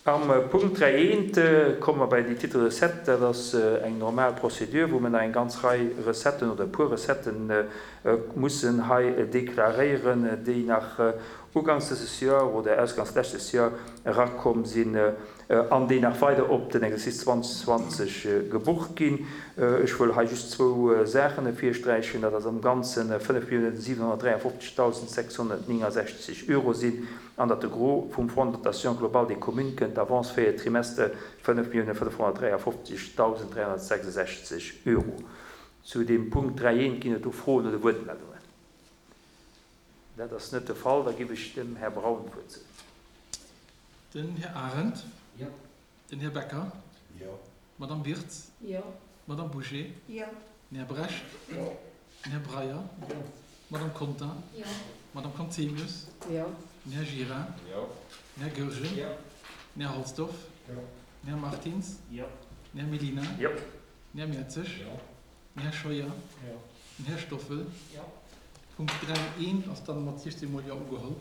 Am Punkt 3 eent komme mer bei déi Titres recettes. Dat ass eng normal Procédure, wou mer nach eng ganz Rei Recetten oder e puer Recetten mussen hei deklaréieren, déi nach uganks dëses Joer oder ausganks leschtes Joer erakomm sinn an déi nach weider op den Exercice 2020 gebucht ginn. Ech wëll hei just zwou Saachen ervirsträichen, dat ass am Ganze 5.753.669 Euro sinn an datt de Gros vum Fonds de dotation globale des communes kënnt, d'Avance véier Trimester 5.553.366 Euro. Zu deem Punkt 3 eent ginn et do Froen oder Wuertmeldungen? Dat ass net de Fall. Da giff ech dem Här Braun d'Wuert ze. Den Här Arendt. Jo. Den Här Becker. Jo. D'Madame Wirtz. Jo. D'Madame Bouché. Jo. Den Här Brecht. Jo. Den Här Breyer. Jo. D'Madame Conter. Jo. D'Madame Conzemius. Jo. Den Här Gira. Jo. Den Här Goergen. Jo. Den Här Halsdorf. Jo. Den Här Martins. Jo. Den Här Mellina. Jo. Den Här Mertzig. Jo. Den Här Scheuer. Jo. Den Här Stoffel. Jo. Punkt 3 eent ass dann mat 16 mol Jo ugeholl.